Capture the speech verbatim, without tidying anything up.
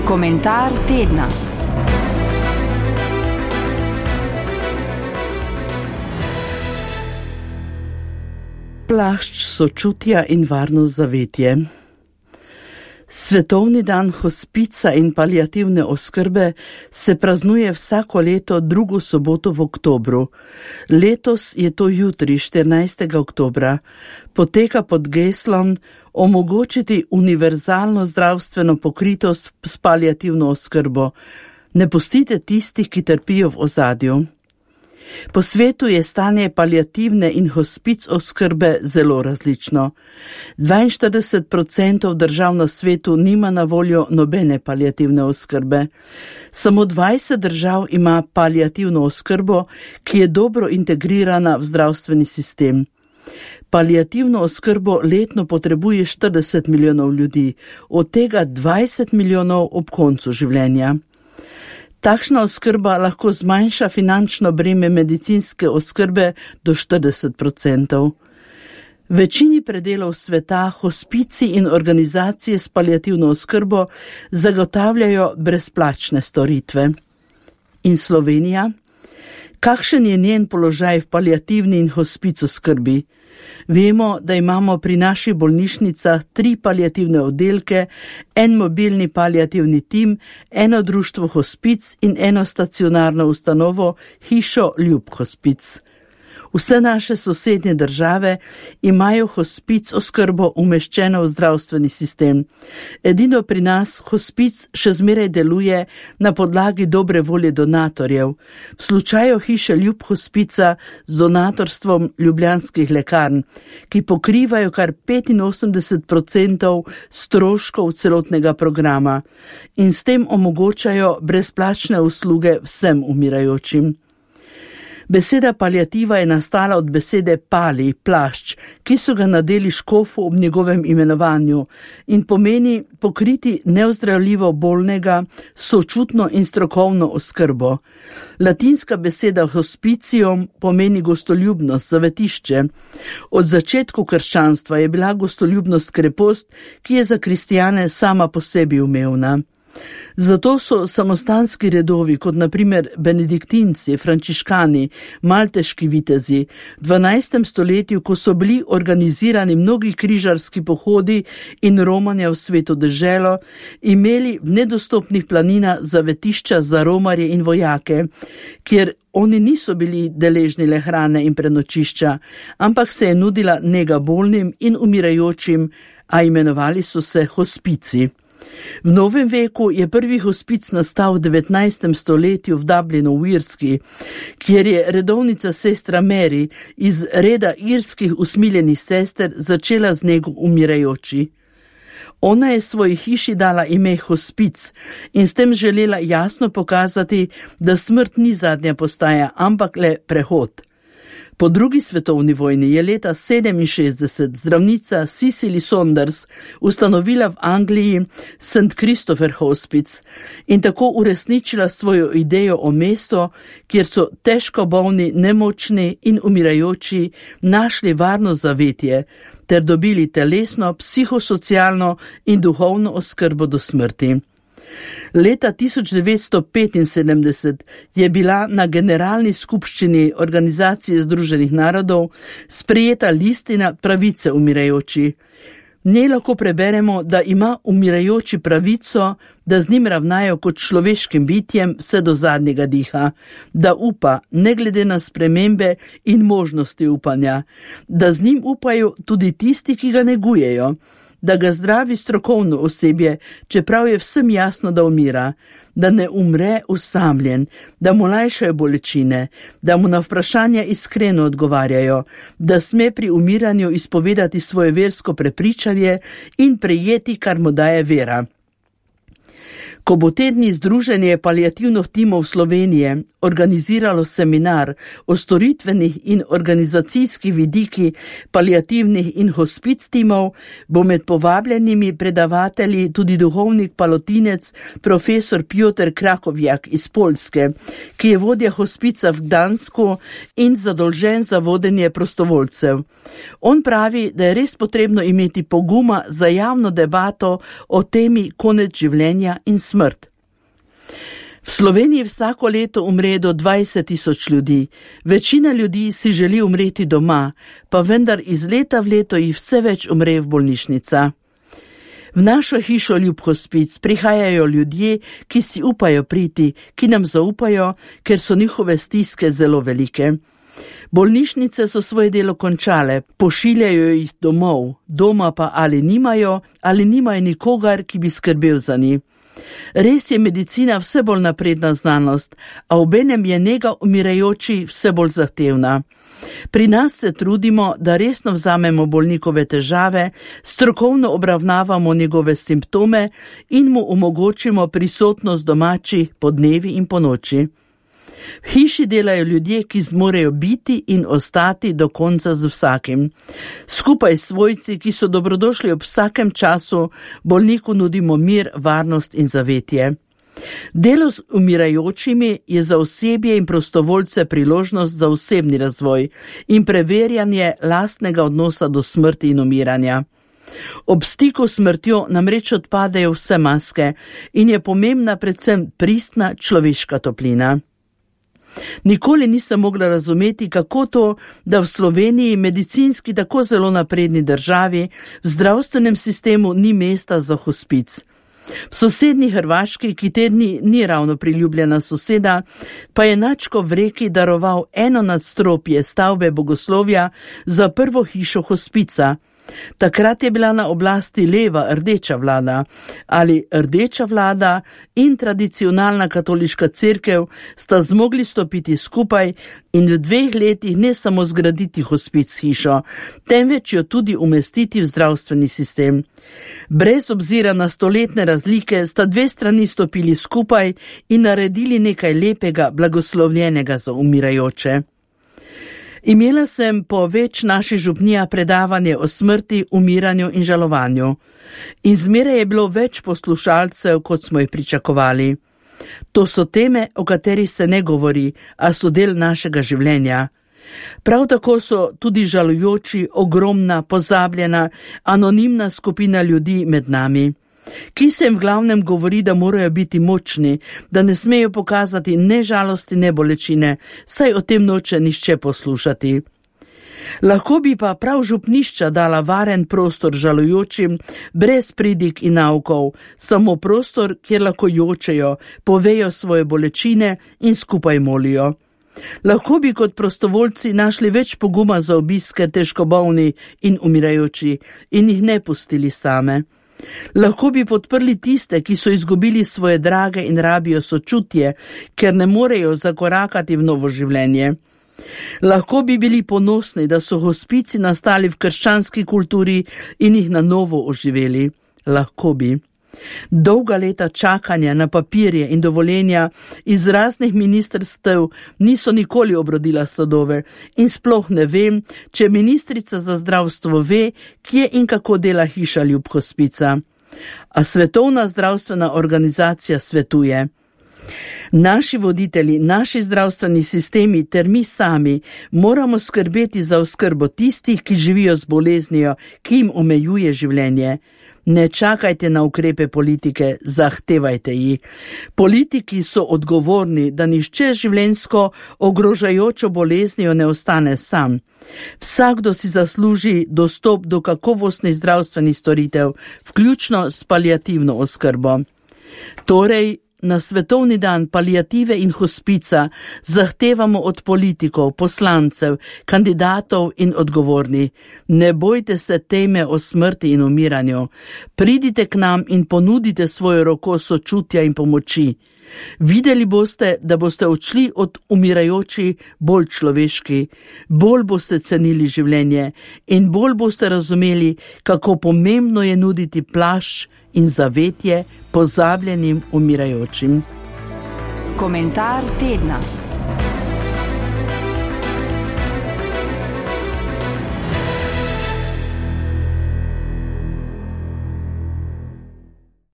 Komentar tedna. Plašč sočutja in varno zavetje. Svetovni dan hospica in paliativne oskrbe se praznuje vsako leto drugo soboto v oktobru. Letos je to jutri, štirinajstega oktobra. Poteka pod geslom omogočiti univerzalno zdravstveno pokritost s paliativno oskrbo. Ne pustite tistih, ki trpijo v ozadju. Po svetu je stanje paliativne in hospic oskrbe zelo različno. dvainštirideset odstotkov držav na svetu nima na voljo nobene paliativne oskrbe. Samo dvajset držav ima paliativno oskrbo, ki je dobro integrirana v zdravstveni sistem. Paliativno oskrbo letno potrebuje štirideset milijonov ljudi, od tega dvajset milijonov ob koncu življenja. Takšna oskrba lahko zmanjša finančno breme medicinske oskrbe do štirideset odstotkov. Večini predelov sveta hospici in organizacije s paliativno oskrbo zagotavljajo brezplačne storitve. In Slovenija? Kakšen je njen položaj v paliativni in hospic oskrbi? Vemo, da imamo pri naših bolnišnicah tri paliativne oddelke, en mobilni paliativni tim, eno društvo hospic in eno stacionarno ustanovo, hišo Ljub hospic. Vse naše sosednje države imajo hospic oskrbo umeščeno v zdravstveni sistem. Edino pri nas hospic še zmeraj deluje na podlagi dobre volje donatorjev. V slučaju hiše Ljub hospica z donatorstvom ljubljanskih lekarn, ki pokrivajo kar petinosemdeset odstotkov stroškov celotnega programa in s tem omogočajo brezplačne usluge vsem umirajočim. Beseda paliativa je nastala od besede pali, plašč, ki so ga nadeli škofu ob njegovem imenovanju in pomeni pokriti neozdravljivo bolnega, sočutno in strokovno oskrbo. Latinska beseda hospicium pomeni gostoljubnost, zavetišče. Od začetku krščanstva je bila gostoljubnost krepost, ki je za kristjane sama po sebi umevna. Zato so samostanski redovi, kot na primer benediktinci, frančiškani, malteški vitezi, v dvanajstem stoletju, ko so bili organizirani mnogi križarski pohodi in romanja v sveto deželo, imeli v nedostopnih planinah zavetišča za romarje in vojake, kjer oni niso bili deležni le hrane in prenočišča, ampak se je nudila nega bolnim in umirajočim, a imenovali so se hospici. V novem veku je prvi hospic nastal v devetnajstem stoletju v Dublinu v Irski, kjer je redovnica sestra Mary iz reda irskih usmiljenih sester začela z nego umirajoči. Ona je svoji hiši dala ime hospic in s tem želela jasno pokazati, da smrt ni zadnja postaja, ampak le prehod. Po drugi svetovni vojni je leta sedeminšestdeset zdravnica Cicely Saunders ustanovila v Angliji Saint Christopher Hospice in tako uresničila svojo idejo o mestu, kjer so težko bolni, nemočni in umirajoči našli varno zavetje ter dobili telesno, psihosocialno in duhovno oskrbo do smrti. Leta tisoč devetsto petinsedemdeset je bila na generalni skupščini Organizacije združenih narodov sprejeta listina pravice umirajoči. V njej lahko preberemo, da ima umirajoči pravico, da z njim ravnajo kot človeškim bitjem vse do zadnjega diha, da upa, ne glede na spremembe in možnosti upanja, da z njim upajo tudi tisti, ki ga negujejo, da ga zdravi strokovno osebje, čeprav je vsem jasno, da umira, da ne umre usamljen, da mu lajšajo bolečine, da mu na vprašanja iskreno odgovarjajo, da sme pri umiranju izpovedati svoje versko prepričanje in prejeti, kar mu daje vera. Ko bo te dni Združenje paliativnih timov Slovenije organiziralo seminar o storitvenih in organizacijskih vidiki paliativnih in hospic timov, bo med povabljenimi predavatelji tudi duhovnik palotinec profesor Piotr Krakovjak iz Poljske, ki je vodja hospica v Gdansku in zadolžen za vodenje prostovoljcev. On pravi, da je res potrebno imeti poguma za javno debato o temi konec življenja in smrti. smrt. V Sloveniji vsako leto umre do dvajset tisoč ljudi. Večina ljudi si želi umreti doma, pa vendar iz leta v leto jih vse več umre v bolnišnica. V našo hišo Ljub hospic prihajajo ljudje, ki si upajo priti, ki nam zaupajo, ker so njihove stiske zelo velike. Bolnišnice so svoje delo končale, pošiljajo jih domov, doma pa ali nimajo, ali nimajo nikogar, ki bi skrbel za njih. Res je medicina vse bolj napredna znanost, a obenem je nega umirajoči vse bolj zahtevna. Pri nas se trudimo, da resno vzamemo bolnikove težave, strokovno obravnavamo njegove simptome in mu omogočimo prisotnost domači po dnevi in po noči. V hiši delajo ljudje, ki zmorejo biti in ostati do konca z vsakim. Skupaj s svojci, ki so dobrodošli ob vsakem času, bolniku nudimo mir, varnost in zavetje. Delo z umirajočimi je za osebje in prostovoljce priložnost za osebni razvoj in preverjanje lastnega odnosa do smrti in umiranja. Ob stiku s smrtjo namreč odpadejo vse maske in je pomembna predvsem pristna človeška toplina. Nikoli nisem mogla razumeti, kako to, da v Sloveniji, medicinski tako zelo napredni državi, v zdravstvenem sistemu ni mesta za hospic. V sosednji Hrvaški, ki te dni ni ravno priljubljena soseda, pa je Načko v Reki daroval eno nadstropje stavbe bogoslovja za prvo hišo hospica. Takrat je bila na oblasti leva rdeča vlada, ali rdeča vlada in tradicionalna katoliška cerkev sta zmogli stopiti skupaj in v dveh letih ne samo zgraditi hospic hišo, temveč jo tudi umestiti v zdravstveni sistem. Brez obzira na stoletne razlike sta dve strani stopili skupaj in naredili nekaj lepega, blagoslovljenega za umirajoče. Imela sem po več naših župnija predavanje o smrti, umiranju in žalovanju. In zmeraj je bilo več poslušalcev, kot smo jih pričakovali. To so teme, o katerih se ne govori, a so del našega življenja. Prav tako so tudi žalujoči, ogromna, pozabljena, anonimna skupina ljudi med nami, ki se jim v glavnem govori, da morajo biti močni, da ne smejo pokazati ne žalosti, ne bolečine, saj o tem noče nišče poslušati. Lahko bi pa prav župnišča dala varen prostor žalujočim, brez pridik in naukov, samo prostor, kjer lahko jočejo, povejo svoje bolečine in skupaj molijo. Lahko bi kot prostovoljci našli več poguma za obiske težko bolni in umirajoči in jih ne pustili same. Lahko bi podprli tiste, ki so izgubili svoje drage in rabijo sočutje, ker ne morejo zakorakati v novo življenje. Lahko bi bili ponosni, da so hospici nastali v krščanski kulturi in jih na novo oživeli. Lahko bi. Dolga leta čakanja na papirje in dovoljenja iz raznih ministrstev niso nikoli obrodila sadove in sploh ne vem, če ministrica za zdravstvo ve, kje in kako dela hiša Ljub hospica. A Svetovna zdravstvena organizacija svetuje. Naši voditelji, naši zdravstveni sistemi ter mi sami moramo skrbeti za oskrbo tistih, ki živijo z boleznijo, ki jim omejuje življenje. Ne čakajte na ukrepe politike, zahtevajte jih. Politiki so odgovorni, da nihče življenjsko ogrožajočo boleznijo ne ostane sam. Vsakdo si zasluži dostop do kakovostnih zdravstvenih storitev, vključno s paliativno oskrbo. Torej, na Svetovni dan paliative in hospica zahtevamo od politikov, poslancev, kandidatov in odgovornih. Ne bojte se teme o smrti in umiranju. Pridite k nam in ponudite svojo roko sočutja in pomoči. Videli boste, da boste odšli od umirajoči bolj človeški, bolj boste cenili življenje in bolj boste razumeli, kako pomembno je nuditi plašč in zavetje pozabljenim umirajočim. Komentar tedna.